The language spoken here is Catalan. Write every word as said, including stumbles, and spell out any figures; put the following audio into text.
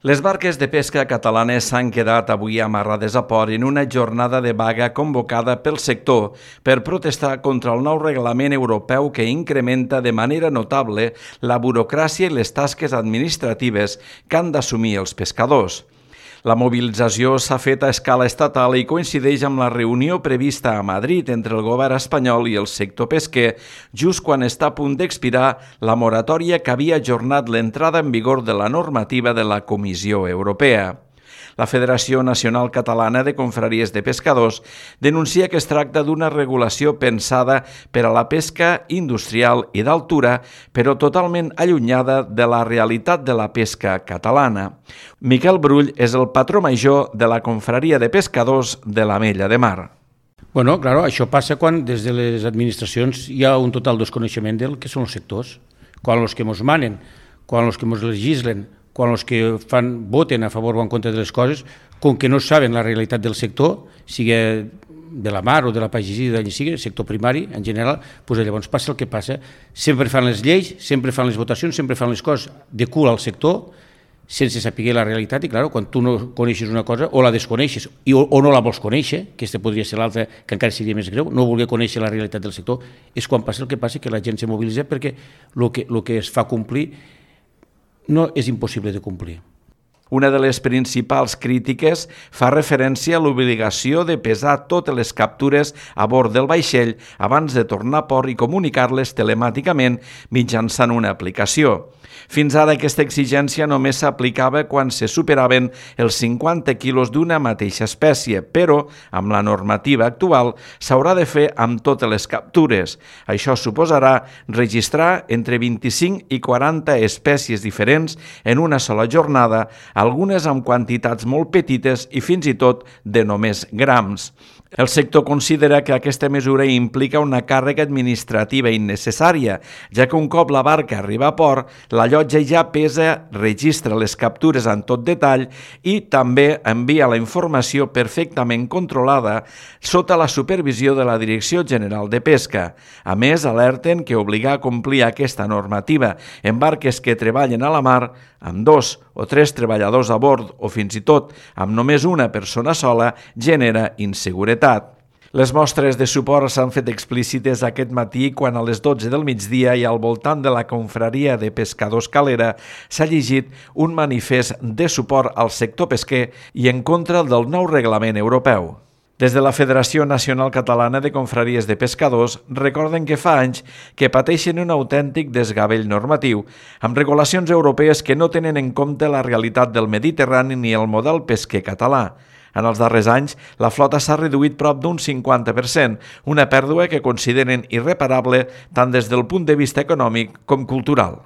Les barques de pesca catalanes s'han quedat avui amarrades a port en una jornada de vaga convocada pel sector per protestar contra el nou reglament europeu que incrementa de manera notable la burocràcia i les tasques administratives que han d'assumir els pescadors. La mobilització s'ha fet a escala estatal i coincideix amb la reunió prevista a Madrid entre el govern espanyol i el sector pesquer, just quan està a punt d'expirar la moratòria que havia ajornat l'entrada en vigor de la normativa de la Comissió Europea. La Federació Nacional Catalana de Confraries de Pescadors denuncia que es tracta d'una regulació pensada per a la pesca industrial i d'altura, però totalment allunyada de la realitat de la pesca catalana. Miquel Brull és el patró major de la Confraria de Pescadors de l'Ametlla de Mar. Bueno, claro, això passa quan des de les administracions hi ha un total desconeixement del que són els sectors. Quan els que ens manen, quan els que ens legislen, quan els que fan, voten a favor o en contra de les coses, com que no saben la realitat del sector, sigui de la mar o de la pagesia, d'allà sigui, sector primari en general, doncs llavors passa el que passa. Sempre fan les lleis, sempre fan les votacions, sempre fan les coses de cul al sector, sense saber la realitat, i clar, quan tu no coneixes una cosa, o la desconeixes i, o, o no la vols conèixer, que aquesta podria ser l'altra, que encara seria més greu, no voler conèixer la realitat del sector, és quan passa el que passa, que la gent se mobilitza perquè el que, el que es fa complir no és impossible de complir. Una de les principals crítiques fa referència a l'obligació de pesar totes les captures a bord del vaixell abans de tornar a port i comunicar-les telemàticament mitjançant una aplicació. Fins ara aquesta exigència només s'aplicava quan se superaven els cinquanta quilos d'una mateixa espècie, però amb la normativa actual s'haurà de fer amb totes les captures. Això suposarà registrar entre vint-i-cinc i quaranta espècies diferents en una sola jornada, algunes amb quantitats molt petites i fins i tot de només grams. El sector considera que aquesta mesura implica una càrrega administrativa innecessària, ja que un cop la barca arriba a port, la llotja ja pesa, registra les captures en tot detall i també envia la informació perfectament controlada sota la supervisió de la Direcció General de Pesca. A més, alerten que obligar a complir aquesta normativa en barques que treballen a la mar amb dos o tres treballadors a bord o fins i tot amb només una persona sola genera inseguretat. Les mostres de suport s'han fet explícites aquest matí quan a les dotze del migdia i al voltant de la Confraria de Pescadors Calera s'ha llegit un manifest de suport al sector pesquer i en contra del nou reglament europeu. Des de la Federació Nacional Catalana de Confraries de Pescadors recorden que fa anys que pateixen un autèntic desgavell normatiu, amb regulacions europees que no tenen en compte la realitat del Mediterrani ni el model pesquer català. En els darrers anys, la flota s'ha reduït prop d'un cinquanta per cent, una pèrdua que consideren irreparable tant des del punt de vista econòmic com cultural.